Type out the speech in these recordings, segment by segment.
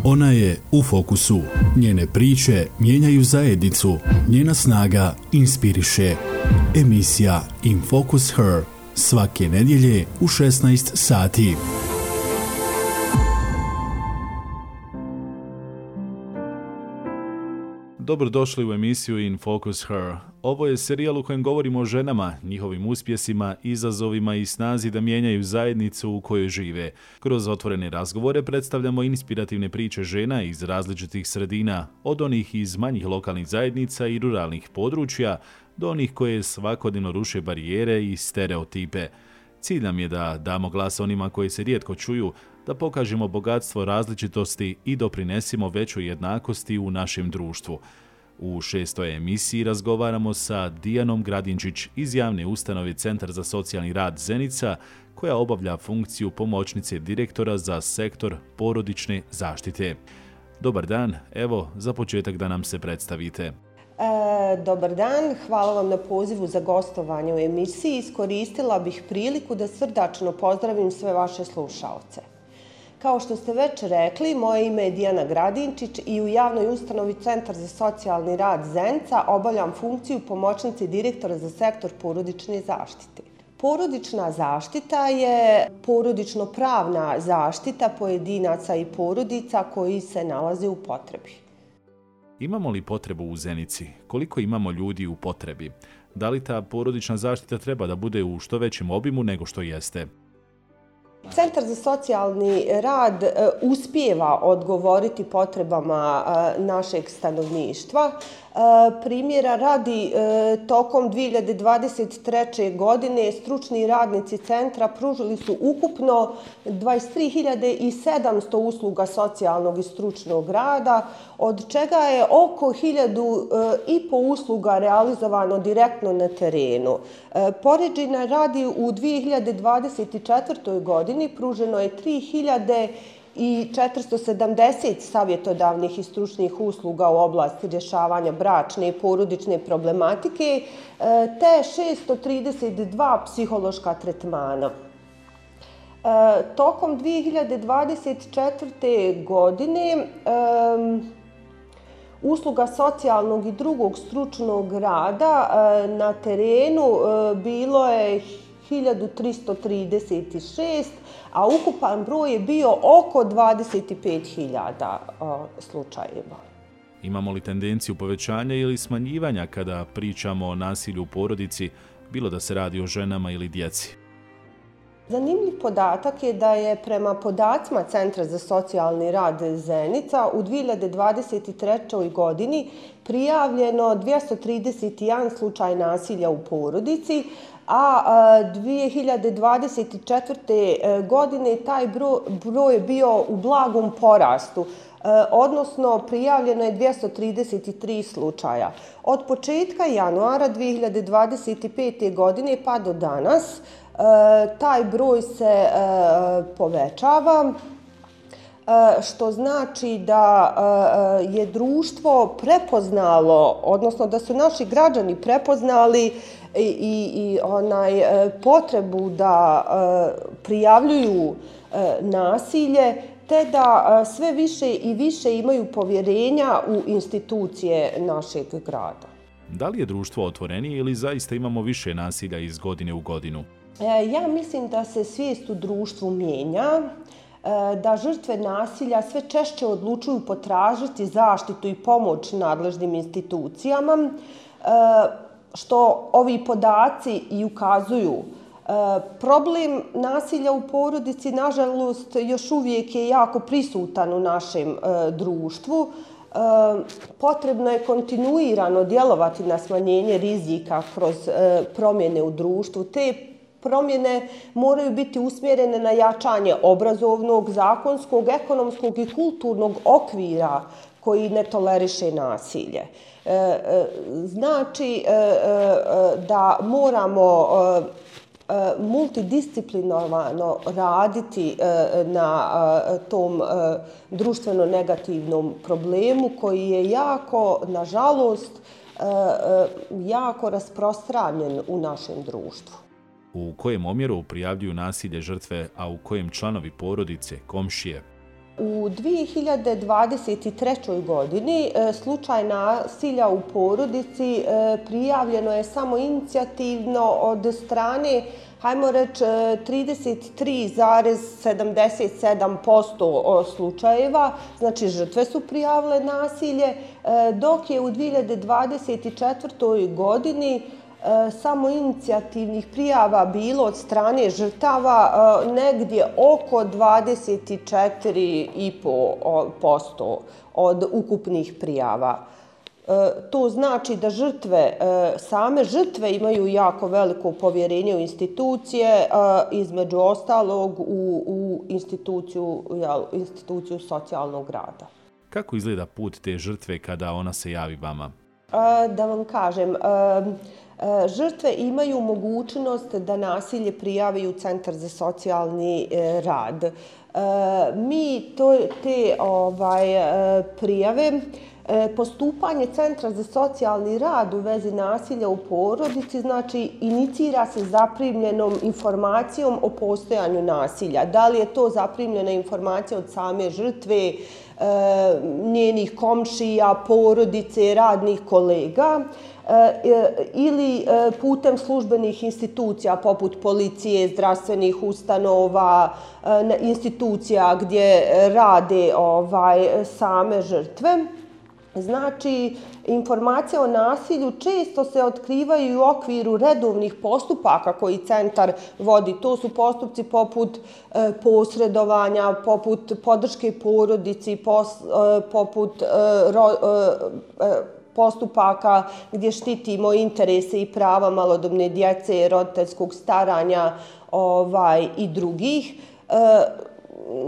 Ona je u fokusu. Njene priče mijenjaju zajednicu. Njena snaga inspiriše. Emisija In Focus Her. Svake nedjelje u 16 sati. Dobrodošli u emisiju In Focus Her. Ovo je serijal u kojem govorimo o ženama, njihovim uspjesima, izazovima i snazi da mijenjaju zajednicu u kojoj žive. Kroz otvorene razgovore predstavljamo inspirativne priče žena iz različitih sredina, od onih iz manjih lokalnih zajednica i ruralnih područja, do onih koje svakodnevno ruše barijere i stereotipe. Cilj nam je da damo glas onima koji se rijetko čuju, da pokažemo bogatstvo različitosti i doprinesimo većoj jednakosti u našem društvu. U 6. emisiji razgovaramo sa Dijanom Gradinčić iz javne ustanove Centar za socijalni rad Zenica, koja obavlja funkciju pomoćnice direktora za sektor porodične zaštite. Dobar dan, evo za početak da nam se predstavite. Dobar dan, hvala vam na pozivu za gostovanje u emisiji. Iskoristila bih priliku da srdačno pozdravim sve vaše slušaoce. Kao što ste već rekli, moje ime je Dijana Gradinčić i u javnoj ustanovi Centar za socijalni rad Zenica obavljam funkciju pomoćnice direktora za sektor porodične zaštite. Porodična zaštita je porodično-pravna zaštita pojedinaca i porodica koji se nalaze u potrebi. Imamo li potrebu u Zenici? Koliko imamo ljudi u potrebi? Da li ta porodična zaštita treba da bude u što većem obimu nego što jeste? Centar za socijalni rad uspijeva odgovoriti potrebama našeg stanovništva. Primjera radi, tokom 2023. godine stručni radnici centra pružili su ukupno 23.700 usluga socijalnog i stručnog rada, od čega je oko 1.500 usluga realizovano direktno na terenu. Poređenja radi u 2024. godini pruženo je 3.470 savjetodavnih i stručnih usluga u oblasti rješavanja bračne i porodične problematike, te 632 psihološka tretmana. Tokom 2024. godine usluga socijalnog i drugog stručnog rada na terenu bilo je 1336, a ukupan broj je bio oko 25.000 slučajeva. Imamo li tendenciju povećanja ili smanjivanja kada pričamo o nasilju u porodici, bilo da se radi o ženama ili djeci? Zanimljiv podatak je da je prema podacima Centra za socijalni rad Zenica u 2023. godini prijavljeno 231 slučaj nasilja u porodici, a 2024. godine taj broj je bio u blagom porastu, odnosno prijavljeno je 233 slučaja. Od početka januara 2025. godine pa do danas taj broj se povećava, što znači da je društvo prepoznalo, odnosno da su naši građani prepoznali i potrebu da prijavljuju nasilje, te da sve više i više imaju povjerenja u institucije našeg grada. Da li je društvo otvorenije ili zaista imamo više nasilja iz godine u godinu? Ja mislim da se svijest u društvu mijenja, da žrtve nasilja sve češće odlučuju potražiti zaštitu i pomoć nadležnim institucijama, što ovi podaci i ukazuju. Problem nasilja u porodici, nažalost, još uvijek je jako prisutan u našem društvu. Potrebno je kontinuirano djelovati na smanjenje rizika kroz promjene u društvu. Te promjene moraju biti usmjerene na jačanje obrazovnog, zakonskog, ekonomskog i kulturnog okvira koji ne toleriše nasilje. Znači da moramo multidisciplinarno raditi na tom društveno negativnom problemu koji je jako, nažalost, jako rasprostranjen u našem društvu. U kojem omjeru prijavljuju nasilje žrtve, a u kojem članovi porodice, komšije? U 2023. godini slučaj nasilja u porodici prijavljeno je samo inicijativno od strane, hajmo reći, 33,77% slučajeva, znači žrtve su prijavile nasilje, dok je u 2024. godini samo inicijativnih prijava bilo od strane žrtava negdje oko 24,5% od ukupnih prijava. To znači da same žrtve imaju jako veliko povjerenje u institucije, između ostalog u instituciju socijalnog rada. Kako izgleda put te žrtve kada ona se javi vama? Da vam kažem, žrtve imaju mogućnost da nasilje prijave u Centar za socijalni rad. Mi te prijave, postupanje Centra za socijalni rad u vezi nasilja u porodici, znači inicira se zaprimljenom informacijom o postojanju nasilja. Da li je to zaprimljena informacija od same žrtve, njenih komšija, porodice, radnih kolega, ili putem službenih institucija poput policije, zdravstvenih ustanova, institucija gdje rade same žrtve. Znači, informacije o nasilju često se otkrivaju u okviru redovnih postupaka koji centar vodi. To su postupci poput posredovanja, poput podrške porodici, poput postupaka gdje štitimo interese i prava malodobne djece, roditeljskog staranja i drugih.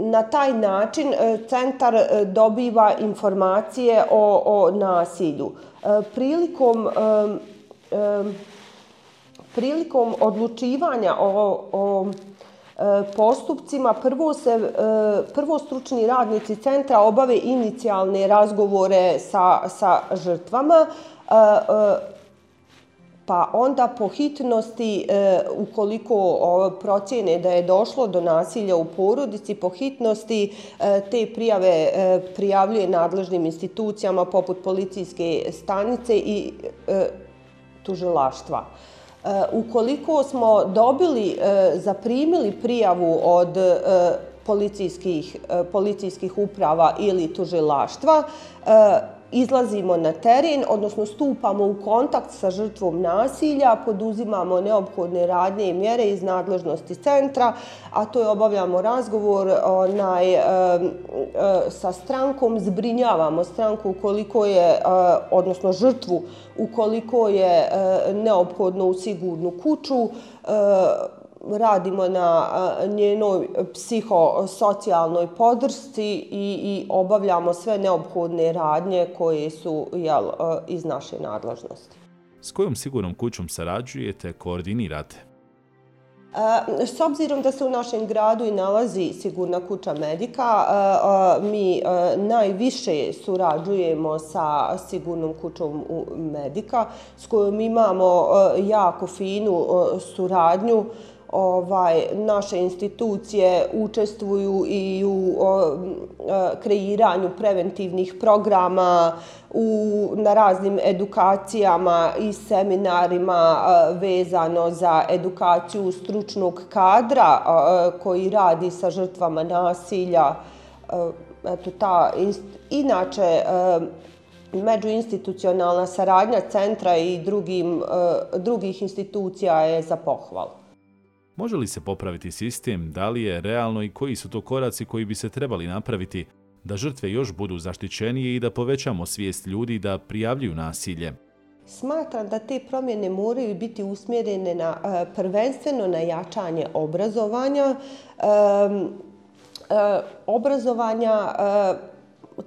Na taj način centar dobiva informacije o nasilju. Prilikom odlučivanja o postupcima prvo stručni radnici centra obave inicijalne razgovore sa žrtvama, pa onda po hitnosti, ukoliko procjene da je došlo do nasilja u porodici, po hitnosti te prijave prijavljuje nadležnim institucijama poput policijske stanice i tužilaštva. Ukoliko smo zaprimili prijavu od policijskih uprava ili tužilaštva, izlazimo na teren, odnosno stupamo u kontakt sa žrtvom nasilja, poduzimamo neophodne radnje i mjere iz nadležnosti centra, a to je obavljamo razgovor sa strankom, zbrinjavamo stranku ukoliko je, odnosno žrtvu ukoliko je neophodno u sigurnu kuću, radimo na njenoj psihosocijalnoj podršci i obavljamo sve neophodne radnje koje su iz naše nadležnosti. S kojom sigurnom kućom sarađujete, koordinirate? S obzirom da se u našem gradu i nalazi Sigurna kuća Medika, mi najviše surađujemo sa Sigurnom kućom Medika, s kojom imamo jako finu suradnju. Naše institucije učestvuju i u kreiranju preventivnih programa, na raznim edukacijama i seminarima vezano za edukaciju stručnog kadra koji radi sa žrtvama nasilja. Inače, međuinstitucionalna saradnja centra i drugih institucija je za pohvalu. Može li se popraviti sistem, da li je realno i koji su to koraci koji bi se trebali napraviti da žrtve još budu zaštićenije i da povećamo svijest ljudi da prijavljuju nasilje? Smatram da te promjene moraju biti usmjerene prvenstveno na jačanje obrazovanja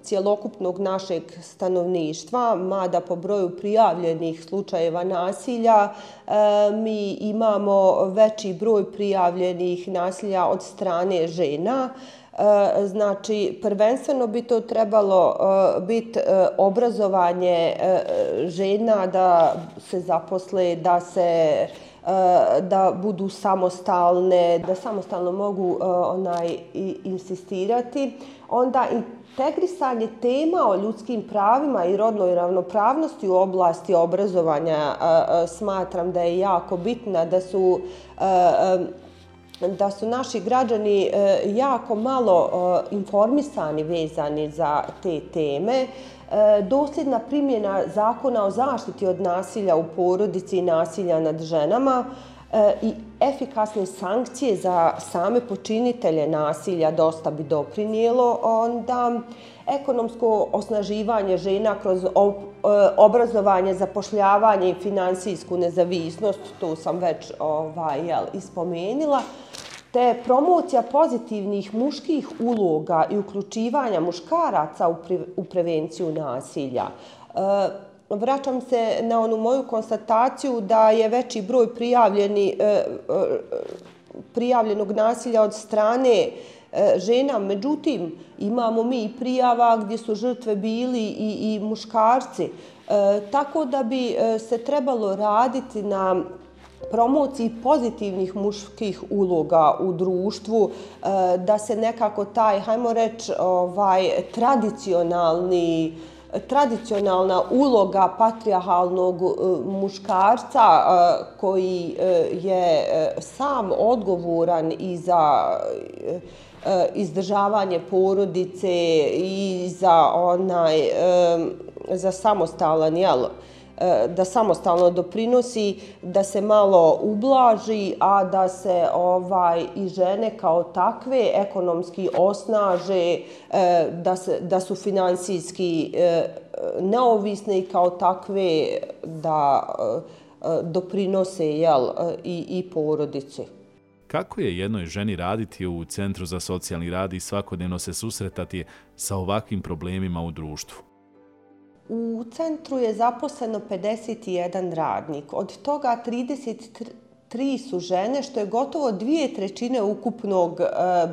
cjelokupnog našeg stanovništva, mada po broju prijavljenih slučajeva nasilja mi imamo veći broj prijavljenih nasilja od strane žena. Znači, prvenstveno bi to trebalo biti obrazovanje žena da se zaposle, da se da budu samostalne, da samostalno mogu insistirati. Onda integrisanje tema o ljudskim pravima i rodnoj ravnopravnosti u oblasti obrazovanja smatram da je jako bitna, da su naši građani jako malo informisani vezani za te teme. Dosljedna primjena Zakona o zaštiti od nasilja u porodici i nasilja nad ženama i efikasne sankcije za same počinitelje nasilja dosta bi doprinijelo. Onda ekonomsko osnaživanje žena kroz obrazovanje, zapošljavanje i finansijsku nezavisnost, to sam već ispomenula, te promocija pozitivnih muških uloga i uključivanja muškaraca u prevenciju nasilja. Vraćam se na onu moju konstataciju da je veći broj prijavljenog nasilja od strane žena, međutim imamo mi i prijava gdje su žrtve bili i muškarci. Tako da bi se trebalo raditi na promociji pozitivnih muških uloga u društvu, da se nekako taj, hajmo reći, tradicionalna uloga patrijarhalnog muškarca koji je sam odgovoran i za izdržavanje porodice i za samostalan, da samostalno doprinosi, da se malo ublaži, a da se i žene kao takve ekonomski osnaže, da su finansijski neovisne i kao takve da doprinose i porodici. Kako je jednoj ženi raditi u Centru za socijalni rad i svakodnevno se susretati sa ovakvim problemima u društvu? U centru je zaposleno 51 radnik, od toga 33 su žene, što je gotovo 2/3 ukupnog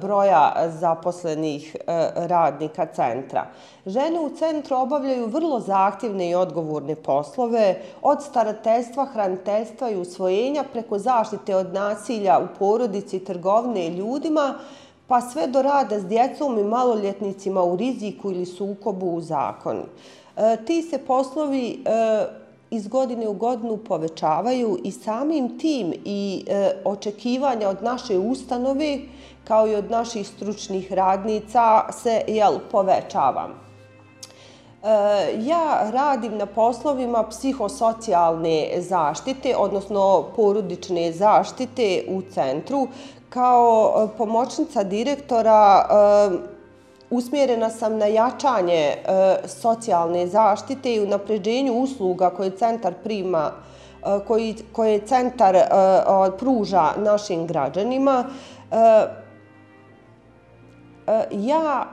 broja zaposlenih radnika centra. Žene u centru obavljaju vrlo zahtjevne i odgovorne poslove, od starateljstva, hraniteljstva i usvojenja preko zaštite od nasilja u porodici i trgovine ljudima, pa sve do rada s djecom i maloljetnicima u riziku ili sukobu u zakonu. Ti se poslovi iz godine u godinu povećavaju i samim tim i očekivanja od naše ustanove kao i od naših stručnih radnica se povećava. Ja radim na poslovima psihosocijalne zaštite, odnosno porodične zaštite u centru. Kao pomoćnica direktora usmjerena sam na jačanje socijalne zaštite i unapređenju usluga koje centar pruža našim građanima. Ja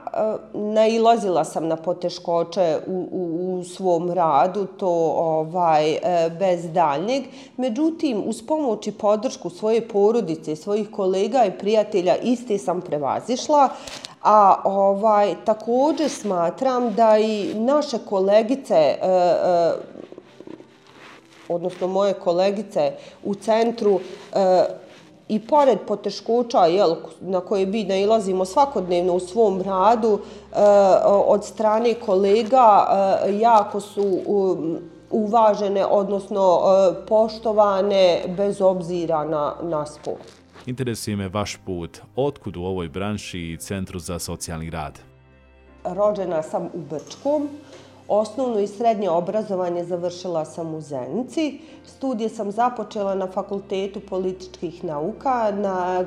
nailazila sam na poteškoće u svom radu, to bez daljnjeg. Međutim, uz pomoć i podršku svoje porodice, svojih kolega i prijatelja iste sam prevazišla. A također smatram da i naše kolegice, odnosno moje kolegice u centru, i pored poteškoća na koje mi nailazimo svakodnevno u svom radu, od strane kolega jako su uvažene, odnosno poštovane bez obzira na spol. Interesuje me vaš put. Otkud u ovoj branši i Centru za socijalni rad? Rođena sam u Brčkom. Osnovno i srednje obrazovanje završila sam u Zenici. Studije sam započela na Fakultetu političkih nauka,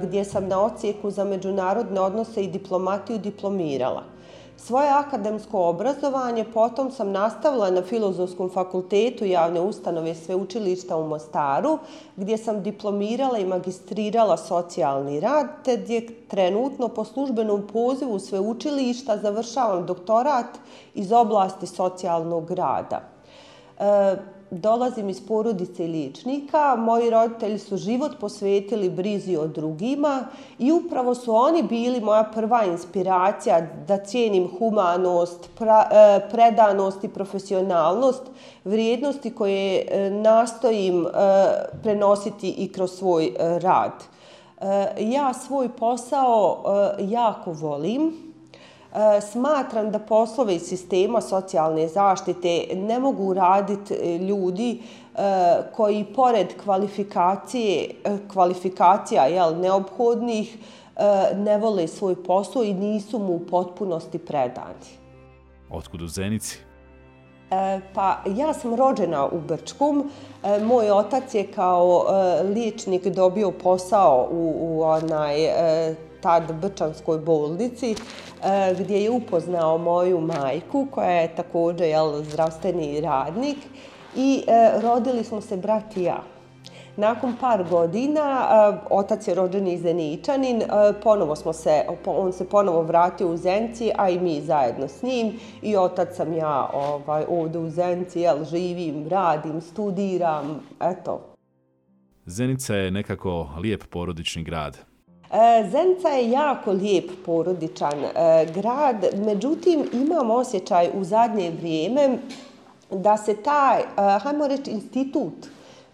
gdje sam na odsjeku za međunarodne odnose i diplomatiju diplomirala. Svoje akademsko obrazovanje potom sam nastavila na Filozofskom fakultetu javne ustanove Sveučilišta u Mostaru, gdje sam diplomirala i magistrirala socijalni rad, te gdje trenutno po službenom pozivu sveučilišta završavam doktorat iz oblasti socijalnog rada. dolazim iz porodice liječnika, moji roditelji su život posvetili brizi o drugima i upravo su oni bili moja prva inspiracija da cijenim humanost, predanost i profesionalnost, vrijednosti koje nastojim prenositi i kroz svoj rad. Ja svoj posao jako volim. Smatram da poslove iz sistema socijalne zaštite ne mogu raditi ljudi koji pored kvalifikacija neophodnih ne vole svoj posao i nisu mu u potpunosti predani. Otkud u Zenici? Pa ja sam rođena u Brčkom. Moj otac je kao liječnik dobio posao u tad Brčanskoj bolnici gdje je upoznao moju majku koja je također zdravstveni radnik i rodili smo se brat i ja. Nakon par godina, otac je rođeni Zeničanin, on se ponovo vratio u Zenici, a i mi zajedno s njim. I otac sam ja ovdje u Zenici, živim, radim, studiram, eto. Zenica je nekako lijep porodični grad. Zenica je jako lijep porodičan grad, međutim imam osjećaj u zadnje vrijeme da se taj, hajmo reći, institut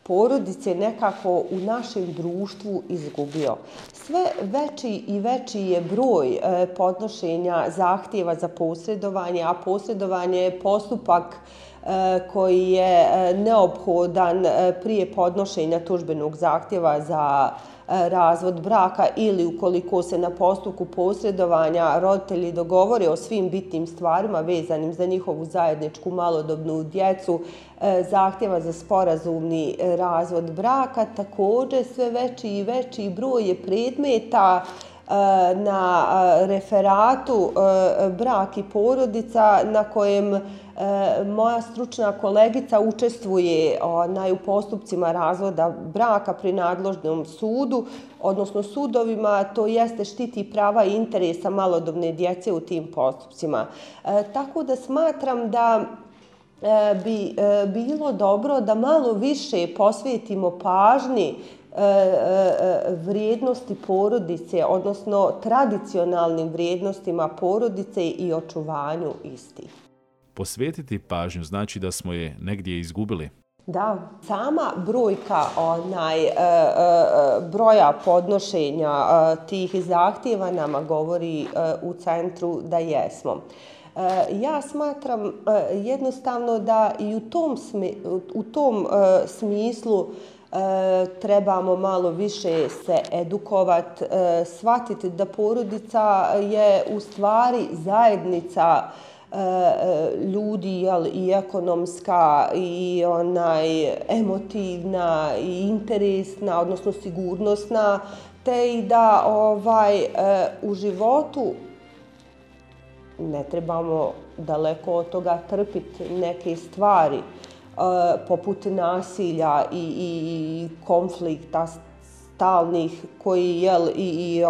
porodice nekako u našem društvu izgubio. Sve veći i veći je broj podnošenja zahtjeva za posredovanje, a posredovanje je postupak koji je neophodan prije podnošenja tužbenog zahtjeva za razvod braka ili ukoliko se na postupku posredovanja roditelji dogovore o svim bitnim stvarima vezanim za njihovu zajedničku malodobnu djecu, zahtjeva za sporazumni razvod braka. Također sve veći i veći broj je predmeta na referatu brak i porodica na kojem moja stručna kolegica učestvuje u postupcima razvoda braka pri nadležnom sudu, odnosno sudovima, to jeste štiti prava i interesa malodobne djece u tim postupcima. Tako da smatram da bi bilo dobro da malo više posvetimo pažnji vrijednosti porodice, odnosno tradicionalnim vrijednostima porodice i očuvanju istih. Posvetiti pažnju znači da smo je negdje izgubili. Da, sama brojka broja podnošenja tih zahtjeva nama govori u centru da jesmo. Ja smatram jednostavno da i u tom smislu trebamo malo više se edukovati, shvatiti da porodica je u stvari zajednica ljudi i ekonomska i emotivna i interesna, odnosno sigurnosna, te i da u životu ne trebamo daleko od toga trpiti neke stvari poput nasilja i konflikta stalnih koji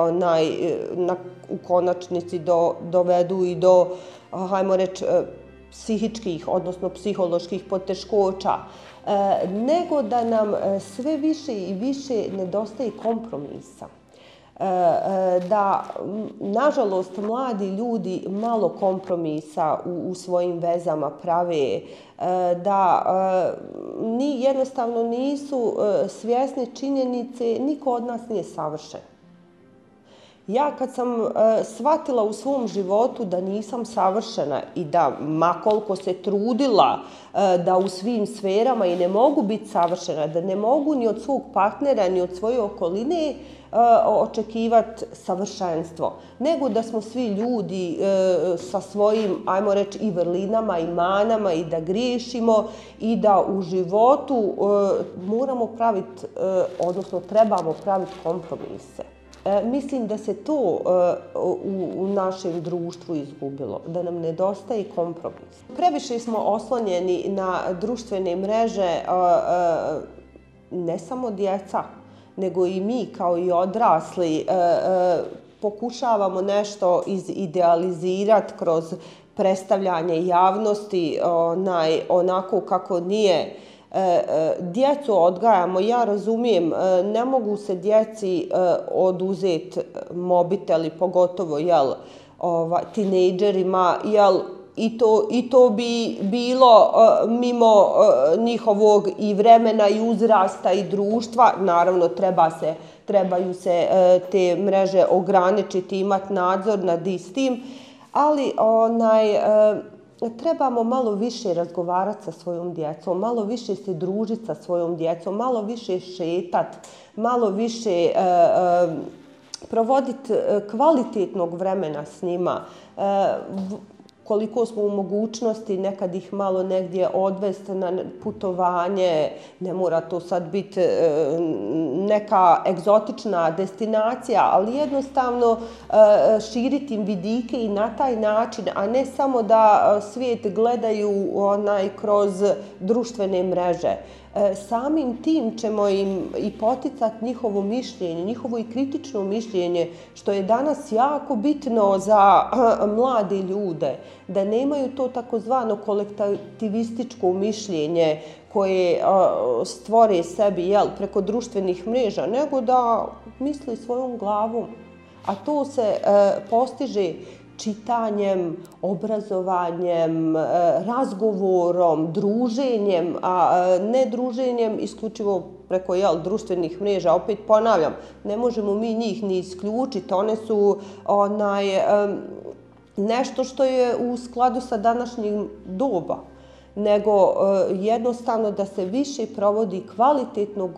u konačnici dovedu i do, hajmo reći, psihičkih, odnosno psiholoških poteškoća, nego da nam sve više i više nedostaje kompromisa. Da, nažalost, mladi ljudi malo kompromisa u svojim vezama prave, da jednostavno nisu svjesni činjenice, niko od nas nije savršen. Ja kad sam shvatila u svom životu da nisam savršena i da ma koliko se trudila da u svim sferama i ne mogu biti savršena, da ne mogu ni od svog partnera ni od svoje okoline očekivati savršenstvo, nego da smo svi ljudi sa svojim, ajmo reći, i vrlinama i manama i da griješimo i da u životu moramo praviti, odnosno trebamo praviti kompromise. Mislim da se to u našem društvu izgubilo, da nam nedostaje kompromis. Previše smo oslonjeni na društvene mreže, ne samo djeca, nego i mi kao i odrasli pokušavamo nešto izidealizirati kroz predstavljanje javnosti onako kako nije Djecu odgajamo, ja razumijem, ne mogu se djeci oduzeti mobiteli, pogotovo tinejdžerima, i to bi bilo mimo njihovog i vremena i uzrasta i društva. Naravno, trebaju se te mreže ograničiti, imati nadzor nad istim, ali trebamo malo više razgovarati sa svojom djecom, malo više se družiti sa svojom djecom, malo više šetati, malo više provoditi kvalitetnog vremena s njima. Koliko smo u mogućnosti nekad ih malo negdje odvesti na putovanje, ne mora to sad biti neka egzotična destinacija, ali jednostavno širiti im vidike i na taj način, a ne samo da svijet gledaju kroz društvene mreže. Samim tim ćemo im i poticati njihovo mišljenje, njihovo i kritično mišljenje, što je danas jako bitno za mlade ljude, da nemaju to takozvano kolektivističko mišljenje koje stvore sebi preko društvenih mreža, nego da misli svojom glavom. A to se postiže čitanjem, obrazovanjem, razgovorom, druženjem, a ne druženjem isključivo preko društvenih mreža. Opet ponavljam, ne možemo mi njih ni isključiti, one su nešto što je u skladu sa današnjim doba, nego jednostavno da se više provodi kvalitetnog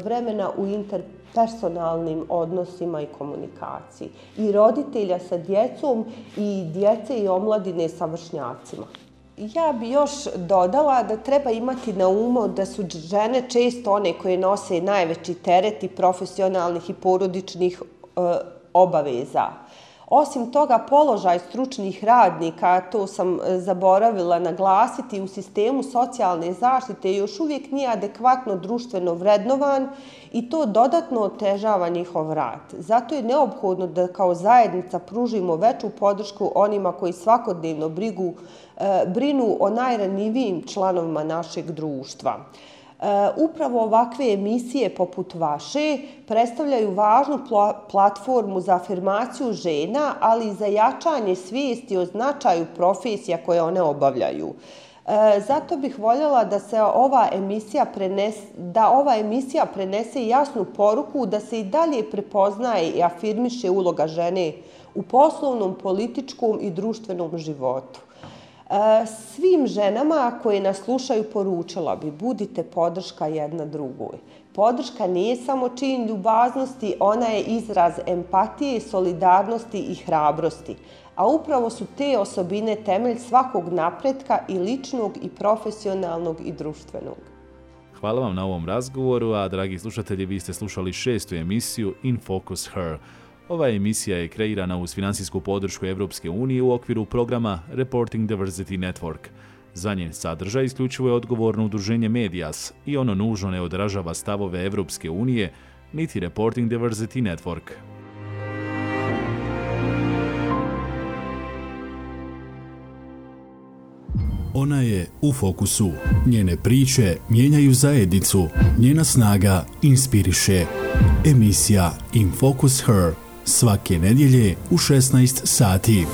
vremena u interpersonalnim odnosima i komunikaciji. I roditelja sa djecom i djece i omladine sa vršnjacima. Ja bi još dodala da treba imati na umu da su žene često one koje nose najveći teret i profesionalnih i porodičnih obaveza. Osim toga, položaj stručnih radnika, to sam zaboravila naglasiti, u sistemu socijalne zaštite još uvijek nije adekvatno društveno vrednovan i to dodatno otežava njihov rad. Zato je neophodno da kao zajednica pružimo veću podršku onima koji svakodnevno brinu o najranjivijim članovima našeg društva. Upravo ovakve emisije poput vaše predstavljaju važnu platformu za afirmaciju žena, ali i za jačanje svijesti o značaju profesija koje one obavljaju. Zato bih voljela da se ova emisija prenese jasnu poruku da se i dalje prepoznaje i afirmiše uloga žene u poslovnom, političkom i društvenom životu. Svim ženama koje nas slušaju poručila bi: budite podrška jedna drugoj. Podrška nije samo čin ljubaznosti, ona je izraz empatije, solidarnosti i hrabrosti. A upravo su te osobine temelj svakog napretka i ličnog i profesionalnog i društvenog. Hvala vam na ovom razgovoru, a dragi slušatelji, vi ste slušali 6. emisiju In Focus Her. Ova emisija je kreirana uz finansijsku podršku Evropske unije u okviru programa Reporting Diversity Network. Za njen sadržaj isključivo je odgovorno udruženje Medias i ono nužno ne odražava stavove Evropske unije niti Reporting Diversity Network. Ona je u fokusu. Njene priče mijenjaju zajednicu. Njena snaga inspiriše. Emisija In Focus Her svake nedjelje u 16 sati.